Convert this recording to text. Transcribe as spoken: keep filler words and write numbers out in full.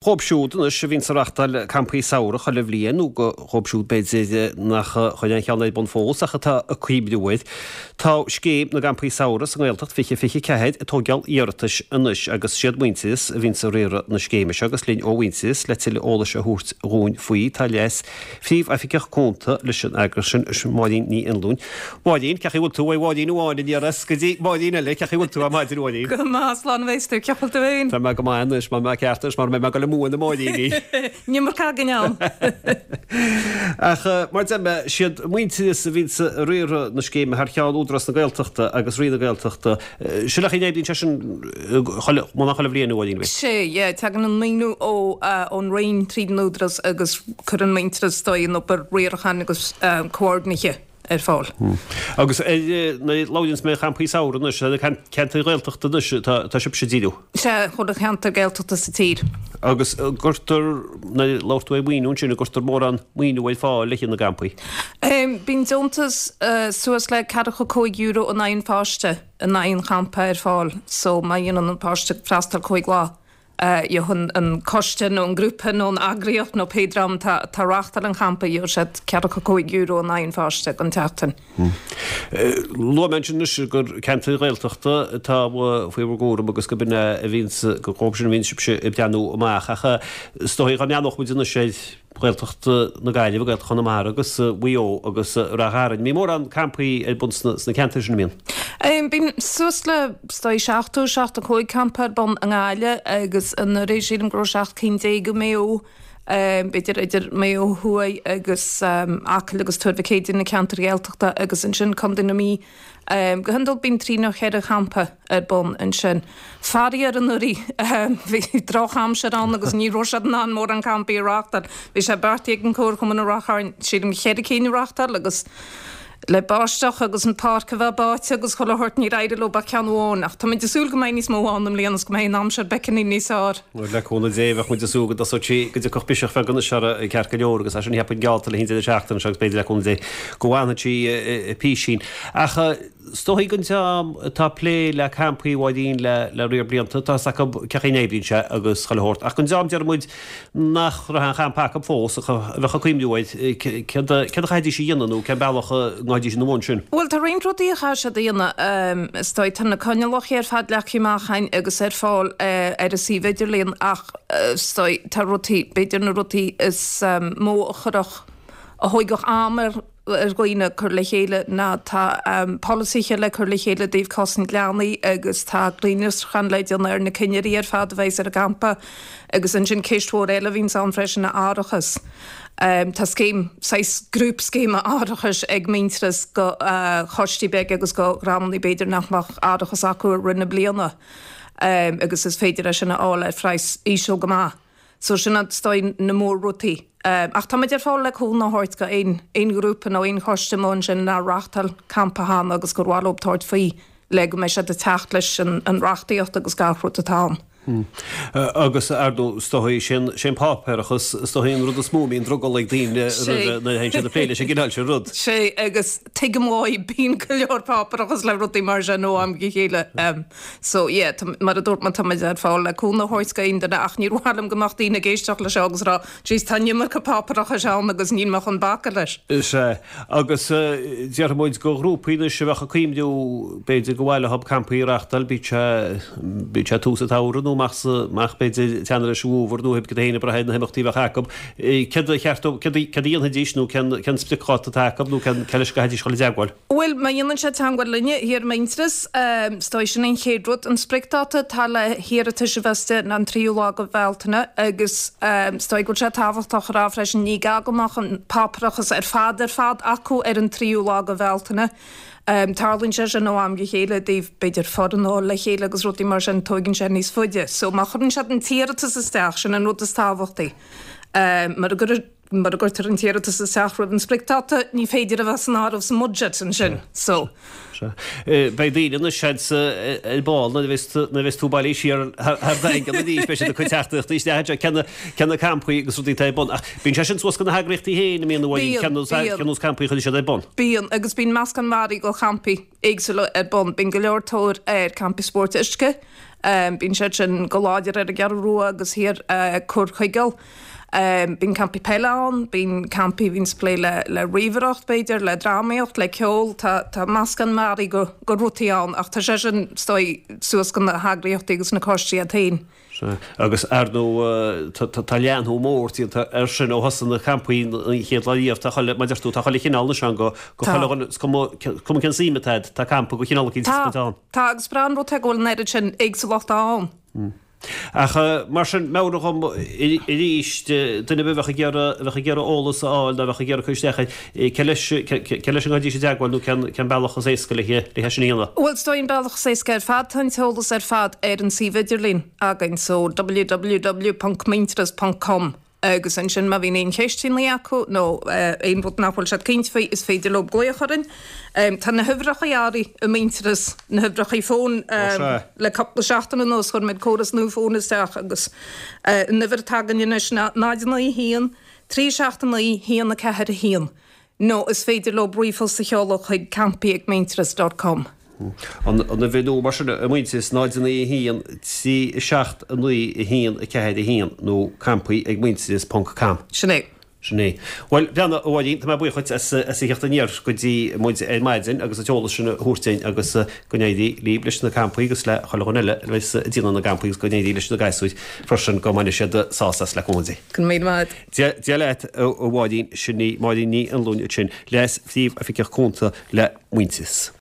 Dhóibh siúd anois a bhíonns ag reachtáil campaí samhraidh chuile bhliain, nó dhóibh siúd b'fhéidir nach chuir aon cheann ar bun fós ach atá ag cuimhniú air, tá Scéim na gCampaí Samhraidh sa nGaeltacht fiche fiche ceathair ag tógáil iarratais anois agus siad Muintearas a bhíonns ag riaradh na scéime seo agus linn ó Mhuintearas le tuilleadh eolais a thabhairt dhúinn faoi tá Leas Phríomhoifigeach Cúnta leis an eagras sin, Máirín Ní Fhionlúin. Máirín, cén chaoi a bhfuil tú? Ó Mháirín amháin aniar as go dtí Máirín eile, cén chaoi a bhfuil tú ar maidin Mháirín? Go maith, slán a bheas tú, cén chaoi a bhfuil tú féin? Tá mé go maith anois, mar mé ceart anois mar mé ag dul amú ar na Máiríní. An iomarca againn ann. Ach mar deir mé, siad Muintearas a bhíonns ag riaradh na scéime thar cheann Údarás na Gaeltachta agus Roinn na Gaeltachta. Sin an chaoi a n-oibríonn sé sin chuile, muna chuile bhliain a Mháirín. Sea, yeah, tagann an maoiniú ó ón Roinn tríd an Údarás agus cuireann Muintearas is dóigh an obair riaracháin agus comhordnaithe ar fáil. Agus ar nuair a labhraíonns mé campaí samhraidh anois, ar na ceantair Ghaeltachta anois atá sibhse ag díriú? Sea, chuile cheantar Gaeltachta sa tír. Agus an gcuirtear, nuair a labhair tú ar mhaoiniú ansin, an gcuirtear mórán maoiniú ar fáil le haghaidh na gcampaí? Bíonn deontas suas le ceathracha cúig euro in aghaidh an pháiste in aghaidh an champa ar fáil so má dhéanann an páiste freastal cúig lá gheobhaidh an coiste nó an grúpa nó an eagraíocht nó pé dream atá ag reáchtáil an champa, gheobhaidh siad ceathracha cúig euro in aghaidh an pháiste don tseachtain. Luaigh mé ansin anois gur ceantair Ghaeltachta atá faoi bhur gcúram agus go b'in é a bhíonns, gur dhóibh sin a bhíonn sibhse ag breathnú amach ach is dóigh dá mbreathnódh muid anois ar Ghaeltacht na Gaillimhe, Gaeltacht Chonamara agus Mhaigh Eo agus Rath Chairn. An mbíonn mórán campaí ar bun sna ceantair sin, an mbíonn? Bíonn suas le, is dóigh, seachtó, seachtó cúig campa ar bun i nGaillimh agus anuraidh sílim go raibh seacht cinn déag i Maigh Eo, b'fhéidir idir Maigh Eo Thuaidh agus Acaill agus Tuar Mhic Éadaigh na ceantair Ghaeltachta agus ansin Contae na Mí. Go hiondúil bíonn trí nó cheithre champa ar bun ansin. Faraor anuraidh bhí drochaimsir ann agus ní raibh siad in ann mórán campaí a reáchtáil. Bhí sé beartaithe ag an Comharchumann i Rath Chairn sílim cheithre cinn a reáchtáil agus le báisteach agus an páirc a bheith báite agus chuile shórt níor éirigh leo ach ceann amháin. Ach táimid ag súil go mbeidh níos mó ann i mbliana is go mbeidh an aimsir beagáinín níos fearr. Bhuel, le cúnamh Dé, bheadh muid ag súil go dtosódh sí, go dtiocfadh biseach bheag anois uirthi ceart go leor agus as sin cheapfainn geallta le haghaidh an deireadh seachtaine seo agus b'fhéidir le cúnamh Dé go bhfanfaidh sí písín. Ach is dóigh don dream atá ag plé le campaí a Mháirín le le riar blianta, tá 'fhios acu cén chaoi a n-oibríonn sé agus chuile shórt. Ach don dream, deir muid, nach raibh aon champa acu fós ach a bheadh ag cuimhniú air, céard a chaithfidís a dhéanamh nó cén bealach a ngabhfaidís ina bhun sin? Bhuel, tá roinnt rudaí a chaithfidh siad a dhéanamh. Is dóigh, tá na coinníollacha ar fad leagtha amach againn agus ar fáil ar an suíomh idirlíon ach is dóigh, tá rudaí, b'fhéidir na rudaí is mó a chuirfeadh, a thóigfeadh am ar ar dhaoine cur le chéile ná tá polasaithe le cur le chéile i dtaobh cosaint leanaí agus tá grinnfhiosrúchán le déanamh ar na cinnirí ar fad a bheas ar an gcampa agus ansin ceist mhór eile a bhíonns ann freisin ná árachas. Tá scéim, saghas grúpscéime árachais ag Muintearas do choistí beaga agus do dhreamanna b'fhéidir nach mbeadh árachas acu i rith na bliana agus is féidir é sin a fháil ar phraghas íseal go maith. So sin iad is dóigh na mór-rudaí. Ach táimid ar fáil le cúnamh a thabhairt do aon aon ghrúpa nó aon choiste amuigh ansin nár reáchtáil campa cheana agus gur mhaith leo tabhairt faoi le go mbeidh siad ag teacht leis an reachtaíocht agus gach rud atá ann. Agus ar ndóigh, is dóigh, sé an páipéarachas, is dóigh an rud is mó a mbíonn drogall ag daoine roimhe nuair a théann siad ag plé leis an gcineál sin rud. Sea, agus tuigim uaidh, bíonn go leor páipéarachas le rudaí mar sin ó am go chéile. So yeah, tá, mar a dúirt mé, tá muid ar fáil le cúnamh a thabhairt do aon duine ach níor mhaith liom go mbeadh daoine ag éisteacht leis seo agus rá, jeez, tá an iomarca páipéarachais ann agus níl mé chun bacadh leis. Sea, agus déarfaidh muid do ghrúpaí anois a bheadh ag cuimhniú, b'fhéidir gur mhaith leo campaí a reáchtáil, bíodh sé, bíodh sé tús an tsamhraidh nó amach sa, amach b'fhéidir teannán leis an bhfómhar nó cibé féin ag brath ar na himeachtaí a bheadh acu, céard a cheart, céard a, céard a dhéanfaidís nó cén, cén spriocdháta atá acu nó cén, cé leis a gcaithfidís dhul i dteagmháil? Bhuel, má dhéanann siad teagmháil linne thiar i Muintearas, is dóigh sin an chéad rud. An spriocdáta atá le hiarratais a bheith istigh ná an tríú lá de Bhealtaine agus is dóigh go bhfuil sé tábhachtach a rá freisin, ní gá go mbeadh an páipéarachas ar fad ar fad acu ar an tríú lá de Bhealtaine. Tarlaíonn sé sin ó am go chéile i dtaobh b'fhéidir foireann a fháil le chéile agus rudaí mar sin, tóigeann sé níos faide. So má chuireann siad an t-iarratas isteach, sin an rud is tábhachtaí. Mura gcuireann. Mura gcuirtear an t-iarratas isteach roimh an spriocdháta, ní féidir a bheith san áireamh sa mbuiséad ansin. So. Sea. Beidh daoine anois, seans, ar ball nuair a bheas nuair a bheas tú bailithe siar thar Daingean arís, beidh siad ag cur teachtaireachtaí isteach anseo, cé na cé na campaí agus rudaí atá ar bun. Ach bíonn sé sin suas go na heagraíochtaí féin, an mbíonn, a Mháirín, cén nós cén nós campaí a chuirfidh siad ar bun? Bíonn, agus bíonn meascán mearaí de champaí éagsúla ar bun. Bíonn go leor tóir ar campaí spóirt uisce. Bíonn siad sin go láidir ar an gCeathrú Rua agus thiar i Corr Chuigéil. Bíonn campaí peile ann, bíonn campaí a bhíonns ag plé le le ríomhaireacht b'fhéidir, le drámaíocht, le ceol, tá tá meascán mearaí go go rudaí ann ach tá sé sin is dóigh suas go na heagraíochtaí agus na coistí iad féin. Sea, agus ar ndóigh tá leathnú mór déanta air sin ó thosaigh na campaí an chéad lá riamh, tá chuile, mar a deir tú, tá chuile chineál anois ann go go chuile dhuine, is cuma cuma cén suim atá agat, tá campa go chineál eicínt ann. Tá, tá agus breá an rud é go bhfuil an oiread sin éagsúlachta ann. Ach mar sin, meabhraigh dhom arís, duine ar bith a bheadh ag iarraidh, a bheadh ag iarraidh eolas a fháil nó a bheadh ag iarraidh cur isteach air, cé leis, cé leis a ngabhfaidís i dteagmháil nó cén, cén bealach is éasca le, le é sin a dhéanamh? Bhuel, is dóigh an bealach is éasca ar fad, tá an t-eolas ar fad ar an suíomh idirlín againn, so www ponc muintearas ponc com. Agus ansin má bhíonn aon cheisteanna acu nó aon rud nach bhfuil siad cinnte faoi, is féidir leo glaoch orainn. Tá na huimhreacha athraithe i Muintearas, na huimhreacha fóin le cúpla seachtain anuas, chuir muid córas nua fóin isteach agus an uimhir atá againn anois ná náid a naoi a haon, trí seacht a naoi, haon a ceathair a haon. Nó is féidir leo ríomhphost a sheoladh chuig campaí ag muintearas dot com. An uimhir nua mar sin i Muintearas, náid a naoi a haon, trí a seacht a naoi, a haon a ceathair a haon nó campaí ag muintearas ponc com. Sin é. Sin é. Bhuel, breathnaigh, a Mháirín, tá mé buíoch dhuit as a theacht aniar go dtí muid ar maidin agus an t-eolas sin a thabhairt duinn agus go n-éirí libh leis na campaí agus le chuile dhuine eile a bheas ag déanamh na gcampaí agus go n-éirí leis na gasúir freisin go mbaine siad sásamh as le cúnamh Dé. Go raibh míle maith agat. Dia Dia leat, a Mháirín, sin í Máirín Ní Anluain ansin, Leas-Phríomhoifigeach Cúnta le Muintearas.